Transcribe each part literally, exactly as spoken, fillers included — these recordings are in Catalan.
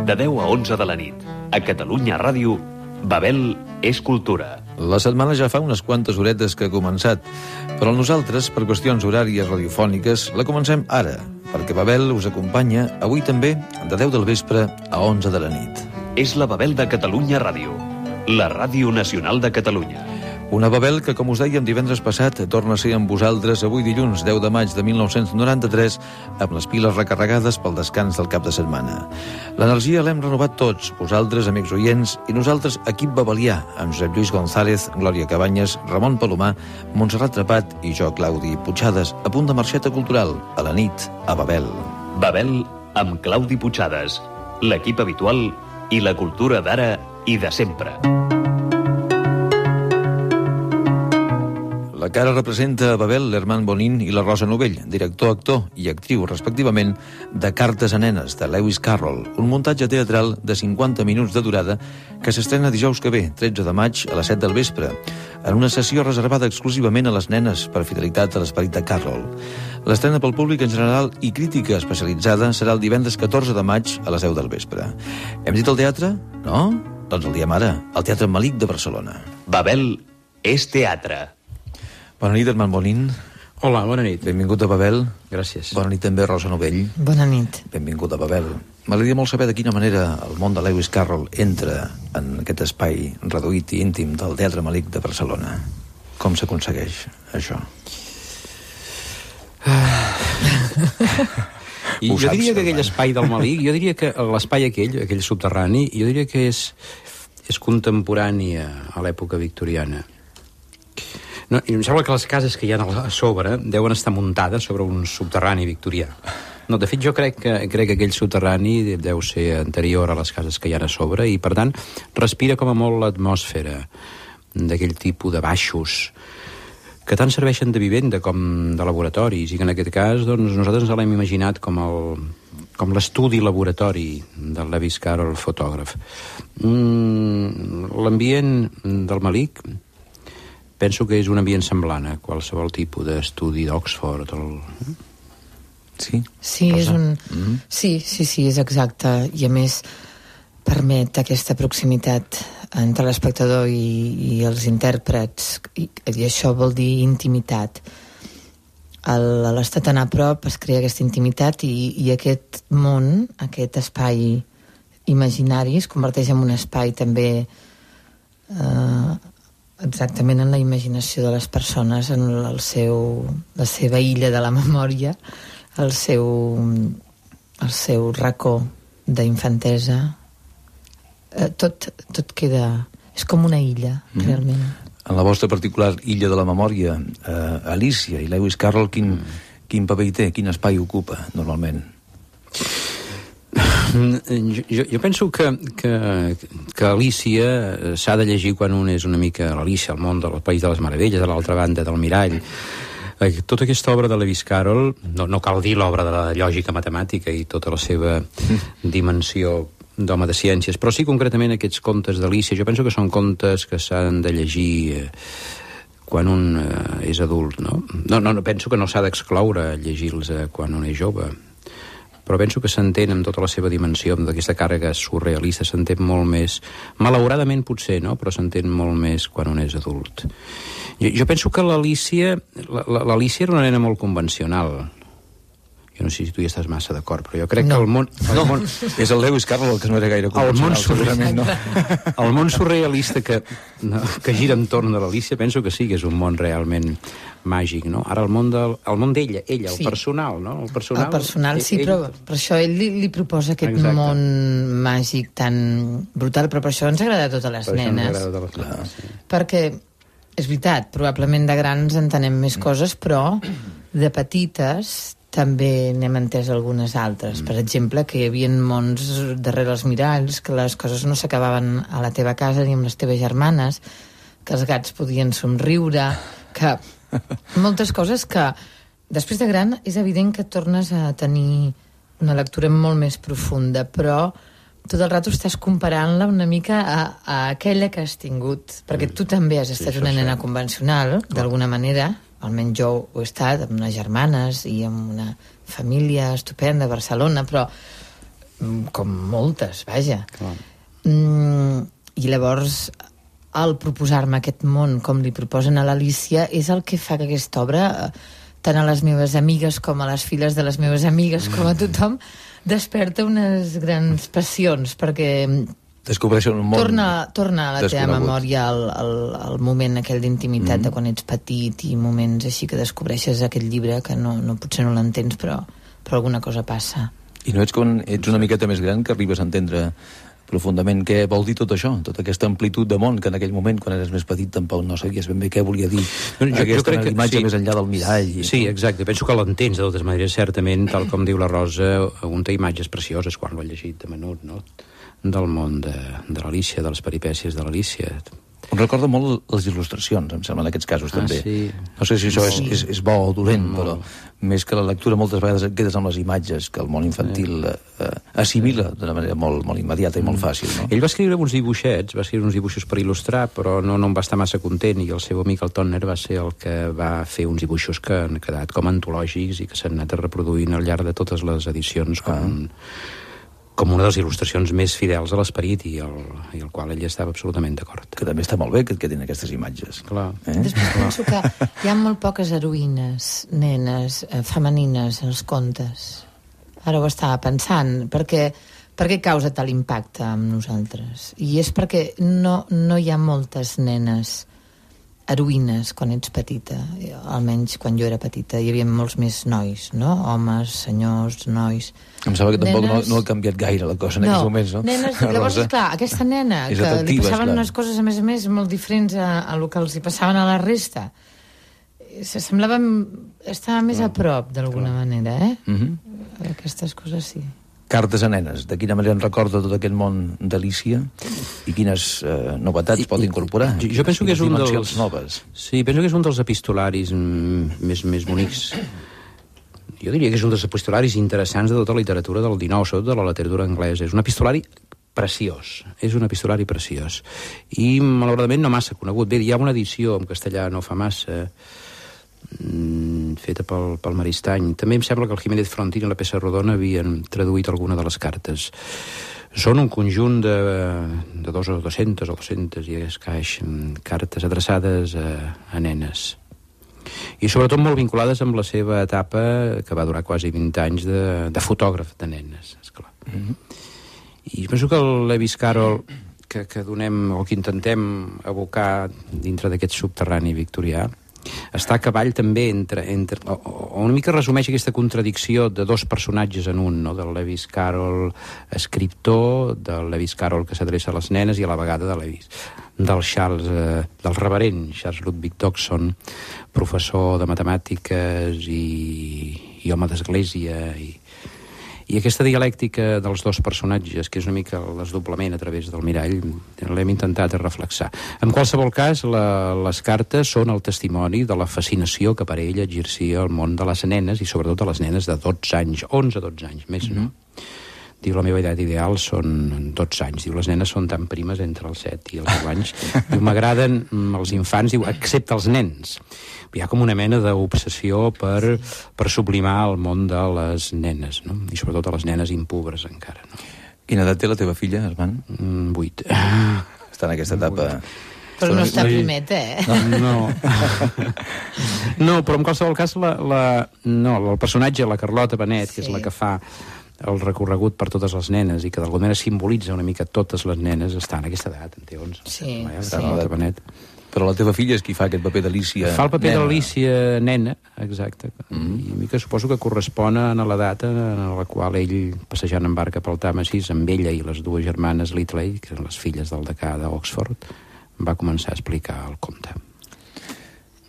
de deu a onze de la nit. A Catalunya Ràdio, Babel és cultura. La setmana ja fa unes quantes horetes que ha començat, però nosaltres, per qüestions horàries radiofòniques, la comencem ara, perquè Babel us acompanya avui també de deu del vespre a onze de la nit. És la Babel de Catalunya Ràdio, la Ràdio Nacional de Catalunya. Una Babel que, com us dèiem divendres passat, torna a ser amb vosaltres avui dilluns deu de maig de mil nou-cents noranta-tres amb les piles recarregades pel descans del cap de setmana. L'energia l'hem renovat tots, vosaltres, amics oients, i nosaltres, equip babelià, amb Josep Lluís González, Glòria Cabanyes, Ramon Palomar, Montserrat Trepat i jo, Claudi Puigades, a punt de marxeta cultural, a la nit, a Babel. Babel amb Claudi Puigades, l'equip habitual i la cultura d'ara i de sempre. La cara representa a Babel l'Herman Bonin i la Rosa Novell, director, actor i actriu, respectivament, de Cartes a nenes, de Lewis Carroll, un muntatge teatral de cinquanta minuts de durada que s'estrena dijous que ve, tretze de maig, a les set del vespre, en una sessió reservada exclusivament a les nenes per fidelitat a l'esperit de Carroll. L'estrena pel públic en general i crítica especialitzada serà el divendres catorze de maig a les deu del vespre. Hem dit el teatre? No? Doncs el diem ara, al Teatre Malik de Barcelona. Babel és teatre. Bona nit, Herman Bonin. Hola, bona nit. Benvingut a Babel. Gràcies. Bona nit també, Rosa Novell. Bona nit. Benvingut a Babel. M'agradaria molt saber de quina manera el món de Lewis Carroll entra en aquest espai reduït i íntim del Teatre Malik de Barcelona. Com s'aconsegueix això? I jo saps, diria que aquell Herman. espai del Malik, jo diria que l'espai aquell, aquell subterrani, jo diria que és, és contemporani a, a l'època victoriana. No, i em sembla que les cases que hi ha a sobre deuen estar muntades sobre un subterrani victorià. No, de fet, jo crec que, crec que aquell subterrani deu ser anterior a les cases que hi ha a sobre i, per tant, respira com a molt l'atmosfera d'aquell tipus de baixos que tant serveixen de vivenda com de laboratoris i que en aquest cas doncs, nosaltres ens l'hem imaginat com el, com l'estudi laboratori del Lewis Carroll, fotògraf. Mm, l'ambient del Malik penso que és un ambient semblant a qualsevol tipus d'estudi d'Oxford. El... Sí? Sí, és un... Mm-hmm. sí, sí, sí, és exacte. I a més permet aquesta proximitat entre l'espectador i, i els intèrprets. I, I això vol dir intimitat. El, a l'estar tan a prop es crea aquesta intimitat i, i aquest món, aquest espai imaginari es converteix en un espai també... Eh, exactament en la imaginació de les persones, en el seu, la seva illa de la memòria, el seu, el seu racó d'infantesa. Eh, tot, tot queda... És com una illa, mm. realment. En la vostra particular illa de la memòria, eh, Alicia i Lewis Carroll, quin, mm. quin paper hi té? Quin espai ocupa, normalment? Jo, jo penso que, que, que Alícia s'ha de llegir quan un és una mica l'Alícia, el món del País de les Meravelles, a l'altra banda del mirall. Tota aquesta obra de Lewis Carroll, no, no cal dir l'obra de la lògica matemàtica i tota la seva dimensió d'home de ciències, però sí concretament aquests contes d'Alícia. Jo penso que són contes que s'han de llegir eh, quan un eh, és adult, no? No, no, no penso que no s'ha d'excloure llegir-los eh, quan un és jove, però penso que s'entén amb tota la seva dimensió d'aquesta càrrega surrealista, s'entén molt més, malauradament potser, no? Però s'entén molt més quan un és adult. Jo, jo penso que l'Alícia l'Alícia era una nena molt convencional. Jo no sé si tu hi estàs massa d'acord, però jo crec no. que el món... El no, món és el Lewis Carroll el que no era gaire convencional, segurament, no? El món surrealista que, no, que gira entorn de l'Alícia penso que sí que és un món realment màgic, no? Ara el món del, el món d'ella, ella, el sí. personal, no? El personal, el personal sí, ell, però per això ell li, li proposa aquest Exacte. Món màgic tan brutal, però per això ens agrada a totes les per nenes. Això ens agrada a totes les nenes, sí. Perquè, és veritat, probablement de grans entenem més coses, però de petites també n'hem entès algunes altres. Per exemple, que hi havia mons darrere els miralls, que les coses no s'acabaven a la teva casa ni amb les teves germanes, que els gats podien somriure, que moltes coses que després de gran és evident que tornes a tenir una lectura molt més profunda, però tot el rato estàs comparant-la una mica a, a aquella que has tingut, perquè tu també has estat sí, una nena sí. convencional, d'alguna manera, almenys jo ho he estat, amb unes germanes i amb una família estupenda a Barcelona, però com moltes, vaja. Mm, I llavors, al proposar-me aquest món com li proposen a l'Alícia, és el que fa que aquesta obra, tant a les meves amigues com a les filles de les meves amigues, com a tothom, desperta unes grans passions, perquè descobreixen un món torna, torna a la teva desconegut. memòria el, el, el moment aquell d'intimitat Mm. de quan ets petit i moments així que descobreixes aquest llibre que no, no potser no l'entens, però, però alguna cosa passa. I no ets quan ets una miqueta més gran que arribes a entendre profundament què vol dir tot això, tota aquesta amplitud de món que en aquell moment, quan eres més petit, tampoc no sabies ben bé què volia dir Bueno, jo- jo aquesta crec que imatge sí. més enllà del mirall. I Sí, exacte. Penso que l'entens de totes maneres, certament, tal com diu la Rosa, un té imatges precioses quan l'ha llegit de menut, no? Del món de, de l'Alícia, de les peripècies de l'Alícia. Em recorda molt les il·lustracions, em sembla, en aquests casos, Ah, també. sí. No sé si això és, Sí. és, és bo o dolent, Molt. però més que la lectura moltes vegades et quedes amb les imatges que el món infantil eh, eh, assimila d'una manera molt, molt immediata i molt fàcil, no? Ell va escriure uns dibuixets, va escriure uns dibuixos per il·lustrar, però no, no en va estar massa content, i el seu amic, el Tonner, va ser el que va fer uns dibuixos que han quedat com antològics i que s'han anat reproduint al llarg de totes les edicions com, ah. com una de les il·lustracions més fidels a l'esperit i, el, i el qual ell estava absolutament d'acord. Que també està molt bé que et quedin aquestes imatges. Clar. Eh? Després penso que hi ha molt poques heroïnes, nenes, eh, femenines als contes. Ara ho estava pensant, perquè, perquè causa tal impacte amb nosaltres. I és perquè no, no hi ha moltes nenes heroïnes quan ets petita. Almenys quan jo era petita hi havia molts més nois, no? Homes, senyors, nois. Em sembla que tampoc Nenes- no, no ha canviat gaire la cosa en aquests moments, no? Nenes, llavors, Rosa? esclar, aquesta nena És que li atractiva, passaven esclar. unes coses, a més a més, molt diferents a, a lo que els hi passaven a la resta, se semblava estava més a prop, d'alguna manera, eh? Mhm. Aquestes coses sí. Cartes a nenes, de quina manera en recorda tot aquest món d'Alícia i quines eh, novetats I- pot i- incorporar? jo- jo penso que és un Quines dimensions dels- noves. Sí, penso que és un dels epistolaris mm, més, més bonics. Jo diria que és un dels epistolaris interessants de tota la literatura del dinou, sobretot de la literatura anglesa. És un epistolari preciós, és un epistolari preciós. I, malauradament, no massa conegut. Bé, hi ha una edició en castellà no fa massa, mm, feta pel, pel Maristany. També em sembla que el Jiménez Frontin i la Peça Rodona havien traduït alguna de les cartes. Són un conjunt de, de dos o dues-centes o dues-centes i escaix mm, cartes adreçades a, a nenes. I sobretot molt vinculades amb la seva etapa, que va durar quasi vint anys, de, de fotògraf de nenes, esclar. Mm-hmm. I penso que el Lewis Carroll, que, que donem, o que intentem abocar dintre d'aquest subterrani victorià, està a cavall també entre, entre o, o una mica resumeix aquesta contradicció de dos personatges en un, no? Del Lewis Carroll escriptor, del Lewis Carroll que s'adreça a les nenes i a la vegada de Lewis del Charles, eh, del reverent Charles Ludwig Dodgson, professor de matemàtiques i, i home d'església i, i aquesta dialèctica dels dos personatges, que és una mica el desdoblament a través del mirall, l'hem intentat reflexar. En qualsevol cas, la, les cartes són el testimoni de la fascinació que per ell exercia el món de les nenes, i sobretot de les nenes de dotze anys, onze a dotze anys, més no? Diu, la meva edat ideal són dotze anys. Diu, les nenes són tan primes entre els set i els deu anys. Diu, m'agraden els infants, diu, excepte els nens. Hi ha com una mena d'obsessió per, per sublimar el món de les nenes, no? I sobretot a les nenes impubres encara, no? Quina edat té la teva filla, Armand? Mm, vuit. Està en aquesta etapa... Però no està primeta, eh? No. No, però en qualsevol cas la, la, no, el personatge, la Carlota Benet, que és Sí. la que fa el recorregut per totes les nenes i que d'alguna manera simbolitza una mica totes les nenes, està en aquesta edat, en té onze. Sí, La sí. Carlota Benet. Però la teva filla és qui fa aquest paper d'Alícia... Fa el paper nena. d'Alícia nena, exacte. Mm. I a mi que suposo que correspon a l'edat en la qual ell, passejant en barca pel Tàmesis, amb ella i les dues germanes Litley, que són les filles del decà d'Oxford, va començar a explicar el conte.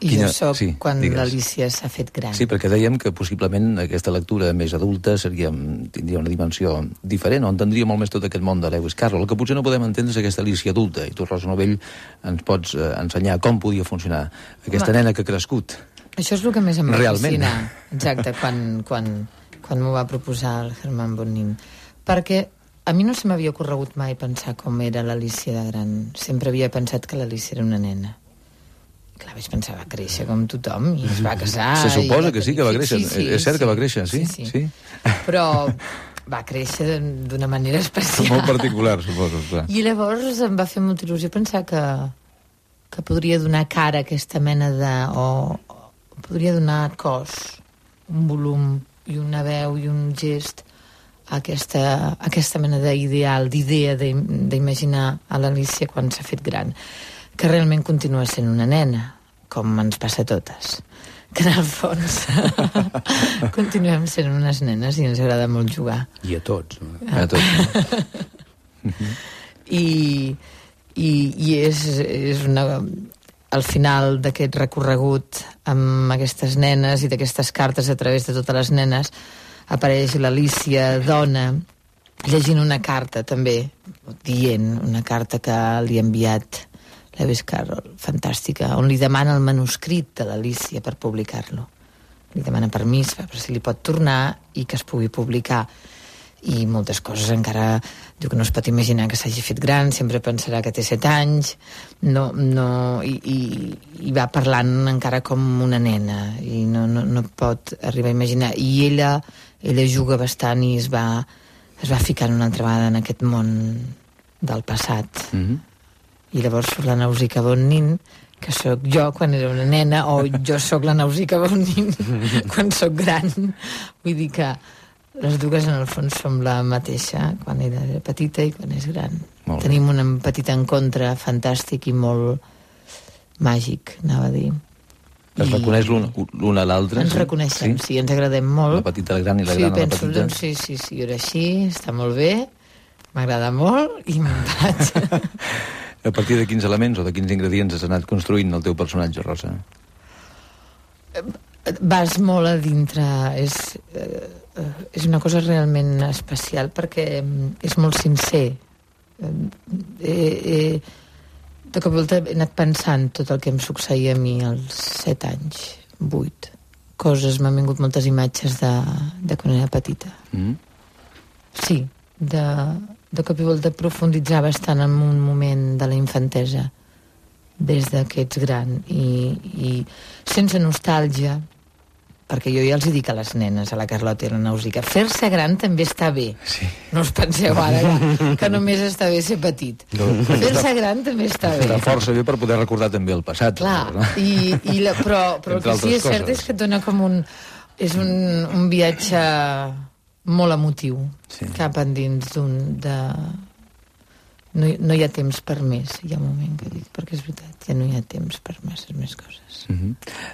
I Quina- jo soc sí, quan digues. l'Alícia s'ha fet gran. Sí, perquè dèiem que possiblement aquesta lectura més adulta seria, tindria una dimensió diferent, on entendria molt més tot aquest món de Lewis Carroll. El que potser no podem entendre és aquesta Alícia adulta, i tu, Rosa Novell, ens pots eh, ensenyar com podia funcionar aquesta Home, nena que ha crescut. Això és el que més em va Realment. fascinar. Exacte, quan, quan, quan m'ho va proposar el Herman Bonin. Perquè a mi no se m'havia ocorregut mai pensar com era l'Alícia de gran. Sempre havia pensat que l'Alícia era una nena. Clar, vaig pensar, va créixer com tothom i es va casar. Se suposa i que sí que va créixer. És cert que va créixer, sí? sí, Sí. Però, va créixer d'una manera especial. Molt particular, suposo, clar. I llavors em va fer molta il·lusió pensar que, que podria donar cara a aquesta mena de... o, o podria donar cos, un volum i una veu i un gest a aquesta, a aquesta mena d'ideal, d'idea d'imaginar a l'Alícia quan s'ha fet gran, que realment continua sent una nena, com ens passa a totes, que en el fons continuem sent unes nenes i ens agrada molt jugar. I a tots. A tots. I, i, i és, és una... al final d'aquest recorregut amb aquestes nenes i d'aquestes cartes a través de totes les nenes apareix l'Alícia dona llegint una carta també, dient una carta que li ha enviat Lewis Carroll, fantàstica, on li demana el manuscrit de l'Alícia per publicar-lo. Li demana permís per si li pot tornar i que es pugui publicar. I moltes coses encara diu que no es pot imaginar que s'hagi fet gran, sempre pensarà que té set anys, no, no, i, i, i va parlant encara com una nena i no, no, no pot arribar a imaginar. I ella, ella juga bastant i es va, es va ficar una altra vegada en aquest món del passat. Mm-hmm. I llavors surt la Nausicaa von Nin, que sóc jo quan era una nena, o jo sóc la Nausicaa von Nin quan sóc gran. Vull dir que les dues en el fons som la mateixa quan era petita i quan és gran. Tenim un petit encontre fantàstic i molt màgic, anava a dir. Es I... reconeix l'una a l'altra? Ens sí? reconeixem, sí? sí, ens agradem molt. La petita al gran i la sí, gran a la penso, petita. Doncs, sí, sí, sí, era així, està molt bé, m'agrada molt i me'n vaig. A partir de quins elements o de quins ingredients has anat construint el teu personatge, Rosa? Vas molt a dintre, és, eh, és una cosa realment especial perquè és molt sincer. Eh, eh, de cop i volta he anat pensant tot el que em succeïa a mi als set anys, vuit. Coses, m'han vingut moltes imatges de, de quan era petita. Mm. Sí, de... de cop i volta profunditzar bastant en un moment de la infantesa des que ets gran i, i sense nostàlgia, perquè jo ja els hi dic a les nenes, a la Carlota i a la Nausicaa, fer-se gran també està bé. Sí. No us penseu ara que, que només està bé ser petit. No. Fer-se gran també està bé. Està força bé per poder recordar també el passat. Clar, no? i, i la, però, però el que sí és cert és que et dona com un... és un, un viatge molt emotiu, sí. Cap endins d'un de... No, no hi ha temps per més, hi ha un moment que dic, perquè és veritat, ja no hi ha temps per masses més coses. Mm-hmm.